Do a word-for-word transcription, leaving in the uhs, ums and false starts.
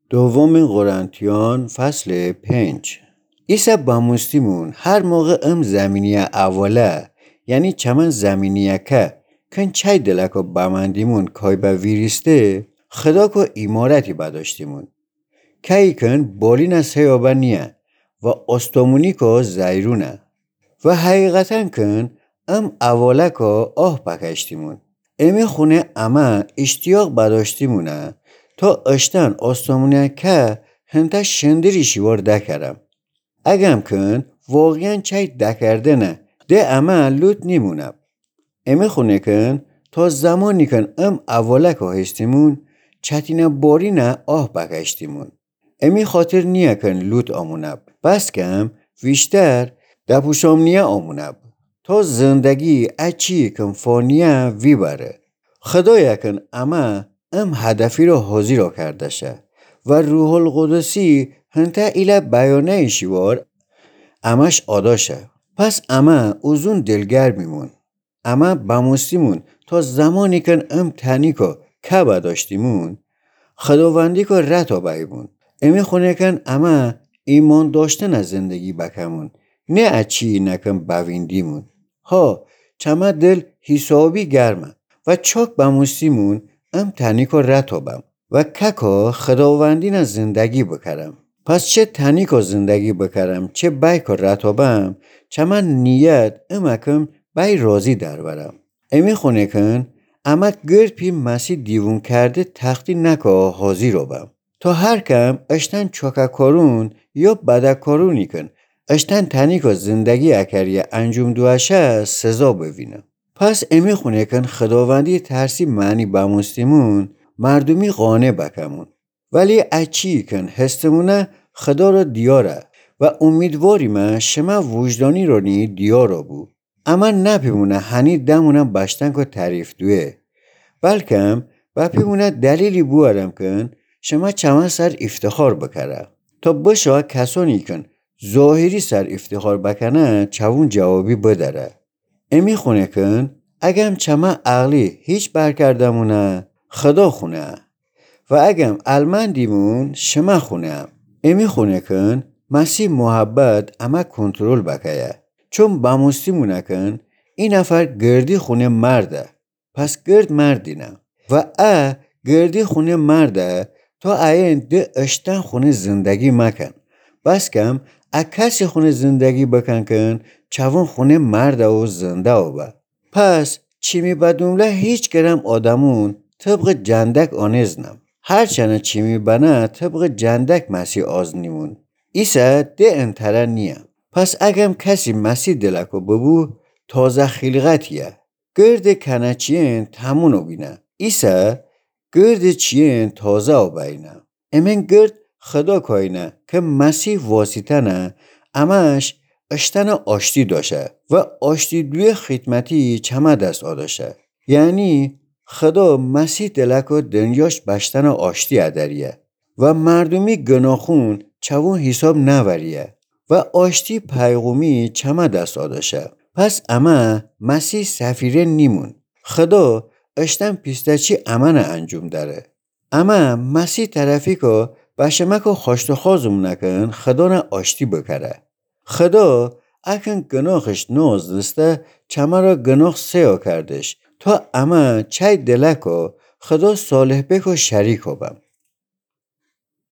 دومی قرنتیان فصل پنج. ایسه بموستیمون هر موقع ام زمینیه اوله، یعنی چمن زمینیه که کن چای دلکو بمندیمون کای به ویریسته، خداکو عمارتی بداشتیمون. که‌یی کن بالینه سیابه نیه و آستومونیکو زیرونه. و حقیقتاً کن ام اولکو آه پکشتیمون. امی خونه امه اشتیاق بداشتیمونه تا اشتن آستومونیه که هنته شندری شیوار دکرم. اگم کن واقعاً چای دکردنه ده امه لوت نیمونب. امی خونه کن تا زمانی کن ام اولکو هستیمون، چتینه بارینه آه پکشتیمون. امی خاطر نیه کن لوت آمونب، بسکم ویشتر دپوشامنیه آمونب، تا زندگی اچی کن فانیه ویبره. خدایه کن امه ام هدفی را حاضیرا کرده شه و روح‌القدسی هنته ایله بیانه شیوار امش آدا شه. پس امه اوزون دلگرمیمون. امه بموستیمون تا زمانی کن ام تنیکو که بداشتیمون، خداوندیکو رتا بهیمون. امی خونه کن امه ایمان داشتنه زندگی بکمون، نه اچی نکن بویندیمون. ها، چمه دل حسابی گرمه و چاک بموستیمون ام تنیکو رتا بم و ککو خداوندینه زندگی بکرم. پس چه تنیکو زندگی بکرم، چه بیکو رتا بم، چمه نیت امه کن بی راضی درورم. امی خونه کن امه گرد پی مسیح دیوون کرده تختی نکو حاضیرا بم. تا هر کم اشتن چاکه کارون یا بده کارونی کن اشتن تنیکو زندگی اکریه انجوم دوه شه سزا بوینه. پس امی خونه کن خداوندی ترسی معنی بموستیمون، مردومی قانع بکمون. ولی اچی کن هستمونه خدا را دیاره و امیدواریمه شمه وجدانی رانی دیارا بو. امه نپیمونه هنی دمونه بشتنکو تعریف دوه، بلکم بپیمونه دلیلی بوارم کن شمه چمه سر افتخار بکره. تا بشا کسانی کن ظاهری سر افتخار بکنه چوون جوابی بدره. امی خونه کن اگم چمه عقلی هیچ برکردمونه، خدا خونه. و اگم المندیمون، شمه خونه. امی خونه کن مسیح محبت امه کنترل بکیه. چون بموستیمونه کن ای نفر گردی خونه مرده. پس گرد مردینه. و ا گردی خونه مرده تا اَیین ده اشتن خونه زندگی مکن. بسکم ا کسی خونه زندگی بکن کن چوون خونه مرده و زنده و به. پس چیمی بدومله هیچ گرم آدمون طبق جندک آنیز نم. هرچنه چیمی بنه طبق جندک مسیح آز نیمون. ایسه ده انتره نیه. پس اگم کسی مسیح دلکو ببو، تازه خیلقتیه. گرد کنه چیین تمونو بینه. ایسه گرد چیین تازه و بینه. امین گرد خدا کاینه که مسیح واسیتنه امش اشتنه آشتی داشه و آشتی دوی خدمتی چمه دس آداشه. یعنی خدا مسیح دلکو دنیاش بشتنه آشتی ادریه و مردومی گناخون چوون حساب نوریه و آشتی پیغومی چمه دس آداشه. پس امه مسیح سفیره نیمون. خدا اشتن پیسته‌چی امنه انجوم دره. امه مسیح طرفیکو بشمکو خواشتخوازوم نکن خدانه آشتی بکره. خدا اکن گناخش نوزدسته چمه را گناخ سیا کردش تا امه چای دلکو خدا صالح بکو شریکو بم.